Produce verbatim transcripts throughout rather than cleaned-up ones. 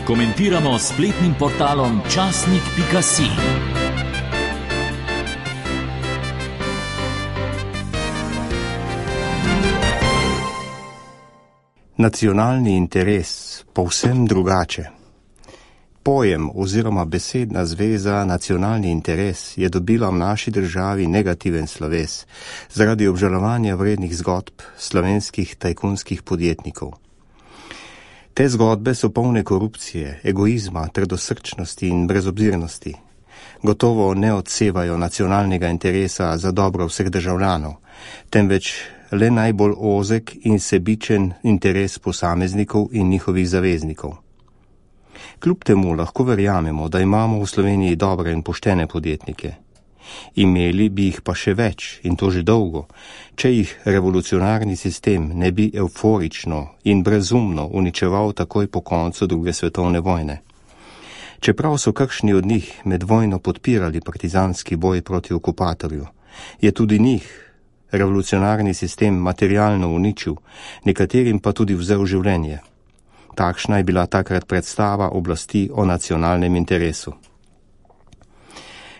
Komentiramo s spletnim portalom časnik pika si. Nacionalni interes povsem drugače. Pojem oziroma besedna zveza nacionalni interes je dobila v naši državi negativen sloves zaradi obžalovanja vrednih zgodb slovenskih tajkunskih podjetnikov. Te zgodbe so polne korupcije, egoizma, trdosrčnosti in brezobzirnosti. Gotovo ne odsevajo nacionalnega interesa za dobro vseh državljanov, temveč le najbolj ozek in sebičen interes posameznikov in njihovih zaveznikov. Kljub temu lahko verjamemo, da imamo v Sloveniji dobre in poštene podjetnike. Imeli bi jih pa še več, in to že dolgo, če jih revolucionarni sistem ne bi euforično in brezumno uničeval takoj po koncu druge svetovne vojne. Čeprav so kakšni od njih med vojno podpirali partizanski boj proti okupatorju, je tudi njih revolucionarni sistem materialno uničil, nekaterim pa tudi vzel življenje. Takšna je bila takrat predstava oblasti o nacionalnem interesu.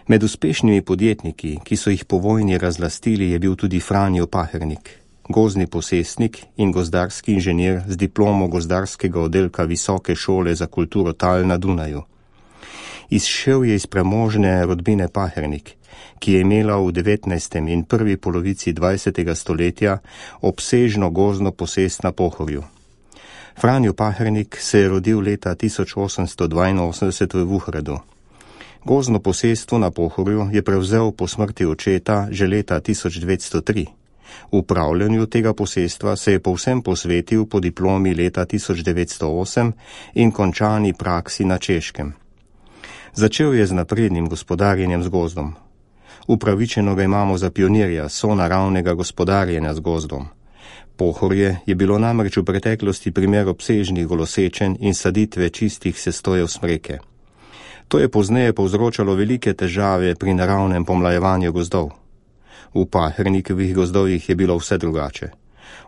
Med uspešnimi podjetniki, ki so jih po vojni razlastili, je bil tudi Franjo Pahernik, gozdni posestnik in gozdarski inženir z diplomo gozdarskega oddelka Visoke šole za kulturo Tal na Dunaju. Izšel je iz premožne rodbine Pahernik, ki je imela v devetnajstem in prvi polovici dvajsetega stoletja obsežno gozdno posest na Pohorju. Franjo Pahernik se je rodil leta tisoč osemsto dvainosemdeset v Vuhredu. Gozdno posestvo na Pohorju je prevzel po smrti očeta že leta tisoč devetsto tri. Upravljanju tega posestva se je povsem posvetil po diplomi leta tisoč devetsto osem in končani praksi na Češkem. Začel je z naprednim gospodarjenjem z gozdom. Upravičeno ga imamo za pionirja sonaravnega gospodarjenja z gozdom. Pohorje je bilo namreč v preteklosti primer obsežnih golosečenj in saditve čistih sestojev smreke. To je pozneje povzročalo velike težave pri naravnem pomlajevanju gozdov. V Pahernikovih gozdovih je bilo vse drugače.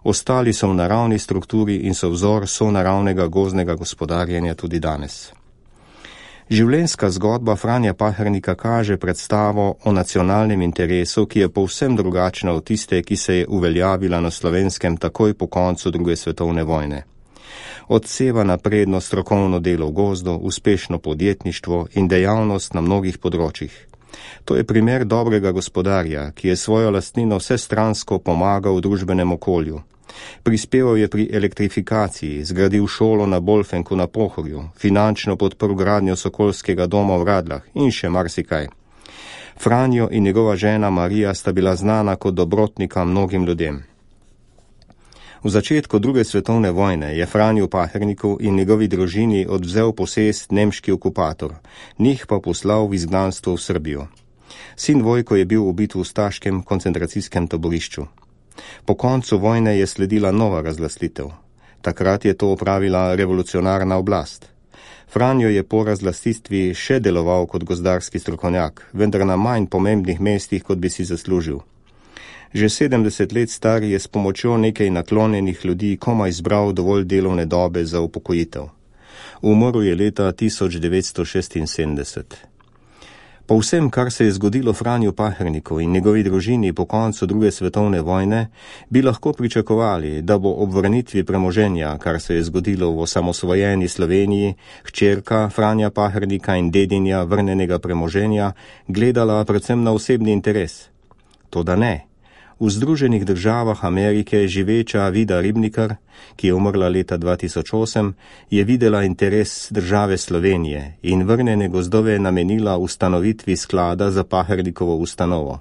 Ostali so v naravni strukturi in so vzor sonaravnega gozdnega gospodarjenja tudi danes. Življenjska zgodba Franja Pahernika kaže predstavo o nacionalnem interesu, ki je povsem drugačna od tiste, ki se je uveljavila na Slovenskem takoj po koncu druge svetovne vojne. Odseva napredno strokovno delo v gozdu, uspešno podjetništvo in dejavnost na mnogih področjih. To je primer dobrega gospodarja, ki je svojo lastnino vsestransko pomagal v družbenem okolju. Prispeval je pri elektrifikaciji, zgradil šolo na Bolfenku na Pohorju, finančno podprl gradnjo Sokolskega doma v Radlah in še marsikaj. Franjo in njegova žena Marija sta bila znana kot dobrotnika mnogim ljudem. V začetku druge svetovne vojne je Franju Paherniku in njegovi družini odvzel posest nemški okupator, njih pa poslal v izgnanstvo v Srbijo. Sin Vojko je bil ubit v ustaškem koncentracijskem taborišču. Po koncu vojne je sledila nova razlastitev. Takrat je to opravila revolucionarna oblast. Franjo je po razlastitvi še deloval kot gozdarski strokovnjak, vendar na manj pomembnih mestih, kot bi si zaslužil. Že sedemdeset let star je s pomočjo nekaj naklonjenih ljudi komaj zbral dovolj delovne dobe za upokojitev. Umrl je leta tisoč devetsto šestinsedemdeset. Po vsem, kar se je zgodilo Franju Paherniku in njegovi družini po koncu druge svetovne vojne, bi lahko pričakovali, da bo ob vrnitvi premoženja, kar se je zgodilo v osamosvojeni Sloveniji, hčerka Franja Pahernika in dedinja vrnenega premoženja gledala predvsem na osebni interes. Toda ne. V Združenih državah Amerike živeča Vida Ribnikar, ki je umrla leta dva tisoč osem, je videla interes države Slovenije in vrnjene gozdove namenila ustanovitvi sklada za Pahernikovo ustanovo.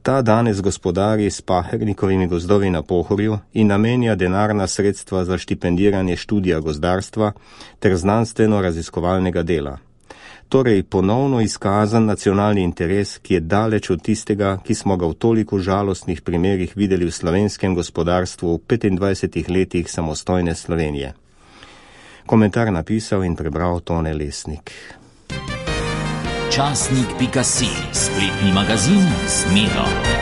Ta danes gospodari s Pahernikovimi gozdovi na Pohorju in namenja denarna sredstva za štipendiranje študija gozdarstva ter znanstveno-raziskovalnega dela. Torej ponovno izkazan nacionalni interes, ki je daleč od tistega, ki smo ga v toliko žalostnih primerih videli v slovenskem gospodarstvu v petindvajsetih letih samostojne Slovenije. Komentar napisal in prebral Tone Lesnik. časnik pika si, spletni magazin z Miro.